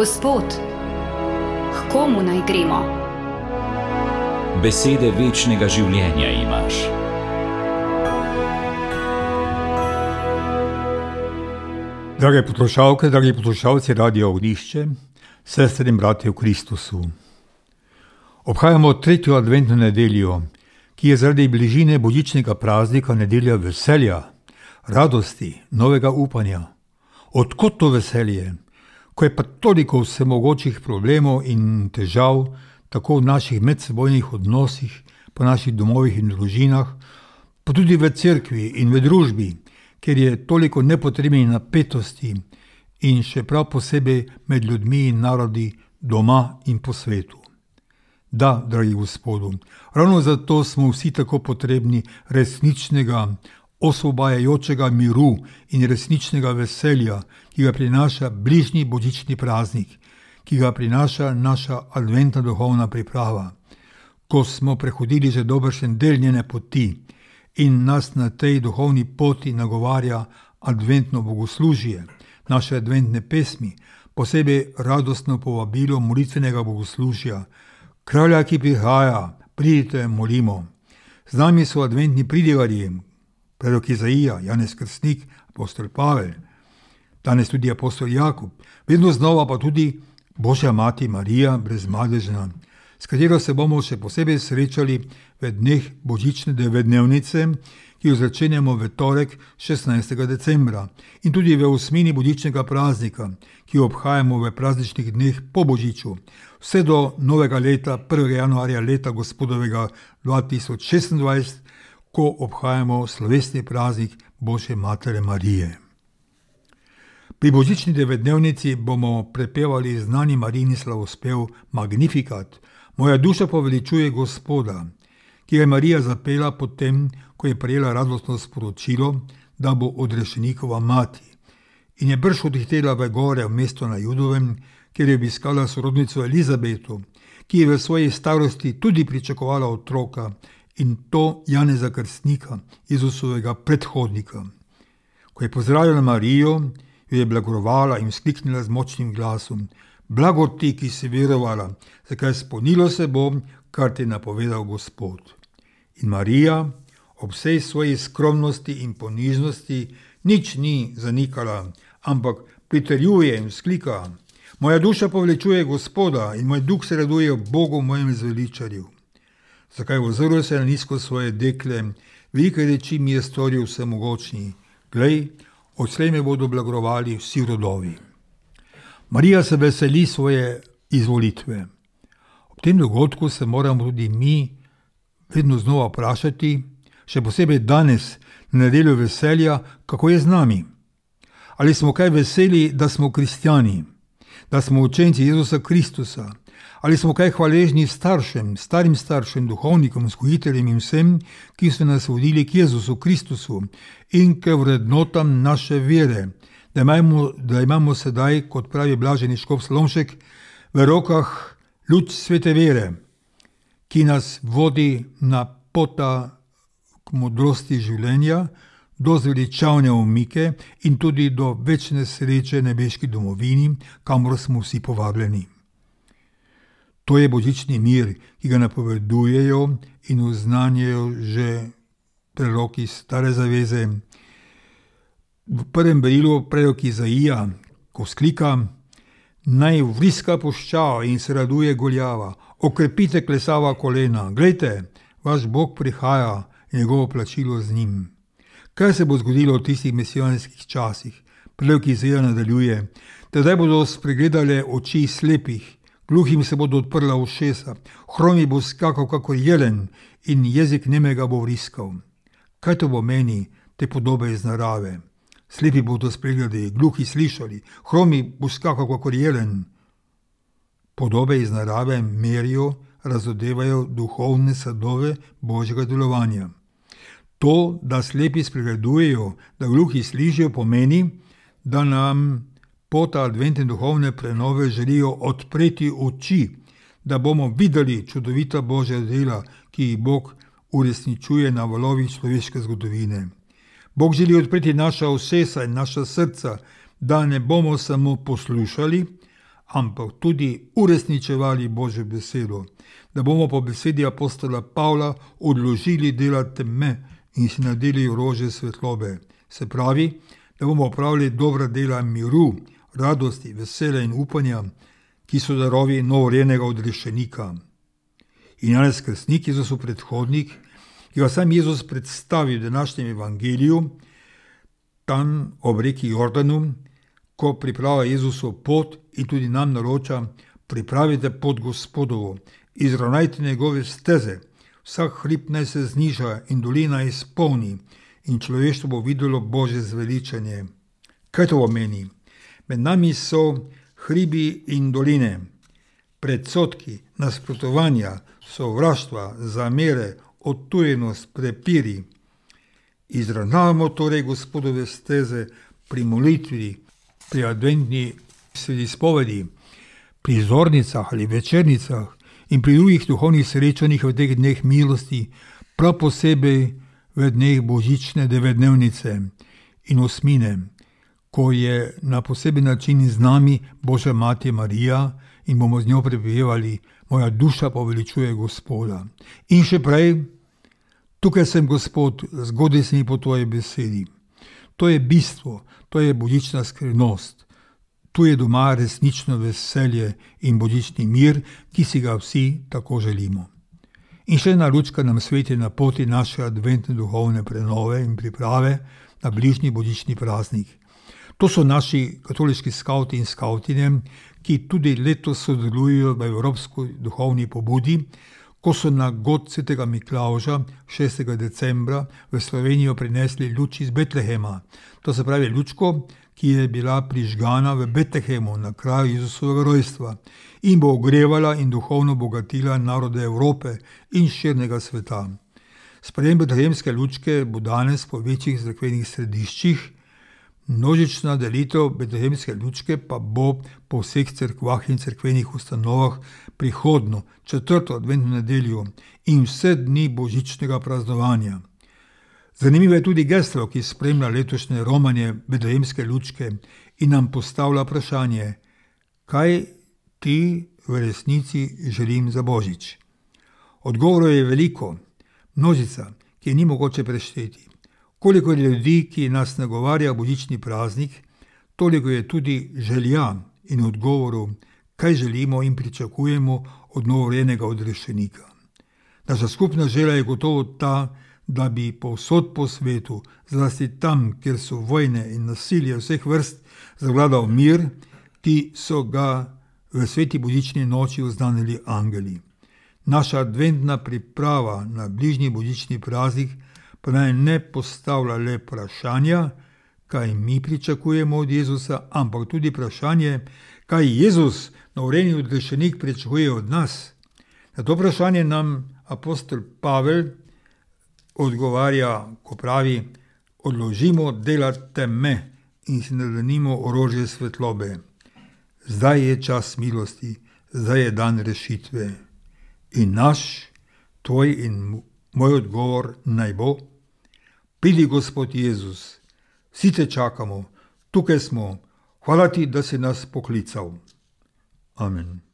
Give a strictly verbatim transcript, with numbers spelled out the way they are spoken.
Gospod, k komu naj gremo? Besede večnega življenja imaš. Drage poslušalke, dragi poslušalci Radia Ognjišče, sestre in bratje v Kristusu. Obhajamo tretjo adventno nedeljo, ki je zaradi bližine božičnega praznika nedelja veselja, radosti, novega upanja. Odkot to veselje, ko je pa toliko vsemogočih problemov in težav, tako v naših medsebojnih odnosih, po naših domovih in družinah, pa tudi v cerkvi in v družbi, ker je toliko nepotrebnih napetosti in še prav posebej med ljudmi in narodi doma in po svetu. Da, dragi Gospodu, ravno zato smo vsi tako potrebni resničnega, osvobajajočega miru in resničnega veselja, ki ga prinaša bližnji božični praznik, ki ga prinaša naša adventna duhovna priprava. Ko smo prehodili že dobršen del njene poti in nas na tej duhovni poti nagovarja adventno bogoslužje, naše adventne pesmi, posebej radostno povabilo molitvenega bogoslužja, Kralja, ki prihaja, pridite, molimo. Z nami so adventni pridigarji, prorok Izaija, Janez Krstnik, apostol Pavel, danes tudi apostol Jakub, vedno znova pa tudi Božja mati Marija brezmadežna, s katero se bomo še posebej srečali v dneh božične devetdnevnice, ki jo začenjamo v torek šestnajstega decembra in tudi v osmini božičnega praznika, ki jo obhajamo v prazničnih dneh po božiču, vse do novega leta, prvega januarja leta gospodovega dva tisoč šestindvajset, ko obhajamo slovesni praznik Božje matere Marije. Pri božični devetdnevnici bomo prepevali znani Marijin slavospev Magnificat, Moja duša poveličuje Gospoda, ki ga je Marija zapela potem, ko je prejela radostno sporočilo, da bo odrešenikova mati. In je brž odhitela v gore v mesto na Judovem, kjer je obiskala sorodnico Elizabeto, ki je v svoji starosti tudi pričakovala otroka, in to Janeza Krstnika, Jezusovega predhodnika. Ko je pozdravila Marijo, jo je blagorovala in vzkliknila z močnim glasom: Blagor ti, ki si verovala, zakaj spolnilo se bo, kar ti je napovedal Gospod. In Marija, ob vsej svoji skromnosti in ponižnosti, nič ni zanikala, ampak pritrjuje in vzklika: Moja duša poveličuje Gospoda in moj duh se raduje Bogu, mojem zveličarju. Zakaj ozrl se na nizko svoje dekle, velike reči mi je storil vsemogočni. Glej, odslej me bodo blagorovali vsi rodovi. Marija se veseli svoje izvolitve. Ob tem dogodku se moramo tudi mi vedno znova vprašati, še posebej danes, na nedeljo veselja, kako je z nami. Ali smo kaj veseli, da smo kristjani, da smo učenci Jezusa Kristusa, ali smo kaj hvaležni staršem, starim staršem, duhovnikom, vzgojiteljem in vsem, ki so nas vodili k Jezusu Kristusu in k vrednotam naše vere, da imamo, da imamo sedaj, kot pravi blaženi škof Slomšek, v rokah luč svete vere, ki nas vodi na pota k modrosti življenja, do zveličavne umike in tudi do večne sreče nebeški domovini, kamor smo vsi povabljeni. To je božični mir, ki ga napovedujejo in oznanjajo že preroki Stare zaveze. V prvem berilu prorok Izaija, ko vzklika: Naj vriska puščava in se raduje goljava, okrepite klesava kolena, glejte, vaš Bog prihaja in njegovo plačilo z njim. Kaj se bo zgodilo v tistih mesijanskih časih? Prorok Izaija nadaljuje: Tedaj bodo spregledale oči slepih, gluhim se bodo odprla ušesa, hromi bo skakal kakor jelen in jezik nemega bo vriskal. Kaj to pomeni, te podobe iz narave? Slepi bodo spregledali, gluhi slišali, hromi bo skakal kakor jelen. Podobe iz narave merijo, razodevajo duhovne sadove Božjega delovanja. To, da slepi spregledujejo, da gluhi slišijo, pomeni, da nam pota adventne duhovne prenove želijo odpreti oči, da bomo videli čudovita Božja dela, ki jih Bog uresničuje na valovih človeške zgodovine. Bog želi odpreti naša ušesa in naša srca, da ne bomo samo poslušali, ampak tudi uresničevali Božjo besedo, da bomo po besedi apostola Pavla odložili dela teme in si nadeli orožje svetlobe. Se pravi, da bomo opravili dobra dela miru, radosti, veselja in upanja, ki so darovi novorojenega odrešenika. In Janez Krstnik, Jezusov predhodnik, ki ga sam Jezus predstavi v današnjem evangeliju, tam ob reki Jordanu, ko pripravlja Jezusov pot in tudi nam naroča: pripravite pot Gospodovo, izravnajte njegove steze, vsak hrib naj se zniža in dolina izpolni in človeštvo bo videlo Božje zveličanje. Kaj to pomeni? Med nami so hribi in doline, predsodki, nasprotovanja, sovraštva, zamere, odtujenost, prepiri. Izravnavamo torej Gospodove steze pri molitvi, pri adventni svedispovedi, pri zornicah ali večernicah in pri drugih duhovnih srečanjih v teh dneh milosti, prav posebej v dneh božične devetdnevnice in osmine, ko je na poseben način z nami Božja Mati Marija in bomo z njo prepevali: moja duša poveličuje Gospoda. In še prej: tukaj sem, Gospod, zgodaj se mi po tvoji besedi. To je bistvo, to je božična skrivnost. Tu je doma resnično veselje in božični mir, ki si ga vsi tako želimo. In še ena lučka nam sveti na poti naše adventne duhovne prenove in priprave na bližnji božični praznik. To so naši katoliški skavti in skavtine, ki tudi letos sodelujejo v evropski duhovni pobudi, ko so na god svetega Miklavža šestega decembra v Slovenijo prinesli luč iz Betlehema. To se pravi lučko, ki je bila prižgana v Betlehemu na kraju Jezusovega rojstva in bo ogrevala in duhovno bogatila narode Evrope in širnega sveta. Sprejem betlehemske lučke bo danes po večjih cerkvenih središčih, množična delitev betlehemske lučke pa bo po vseh cerkvah in cerkvenih ustanovah prihodno četrto adventno nedeljo in vse dni božičnega praznovanja. Zanimivo je tudi geslo, ki spremlja letošnje romanje betlehemske lučke in nam postavlja vprašanje: kaj ti v resnici želim za božič? Odgovorov je veliko, množica, ki je ni mogoče prešteti. Koliko je ljudi, ki nas nagovarja božični praznik, toliko je tudi želja in odgovorov, kaj želimo in pričakujemo od novorojenega odrešenika. Naša skupna želja je gotovo ta, da bi povsod po svetu, zlasti tam, kjer so vojne in nasilje vseh vrst, zavladal mir, ki so ga v sveti božični noči oznanili angeli. Naša adventna priprava na bližnji božični praznik pa naj ne postavlja le vprašanja, kaj mi pričakujemo od Jezusa, ampak tudi vprašanje, kaj Jezus, novorojeni odrešenik, pričakuje od nas. Na to vprašanje nam apostol Pavel odgovarja, ko pravi: odložimo dela teme in si nadenimo orožje svetlobe. Zdaj je čas milosti, zdaj je dan rešitve. In naš, tvoj in moj odgovor naj bo: pridi, Gospod Jezus, vsi te čakamo, tukaj smo, hvala ti, da si nas poklical. Amen.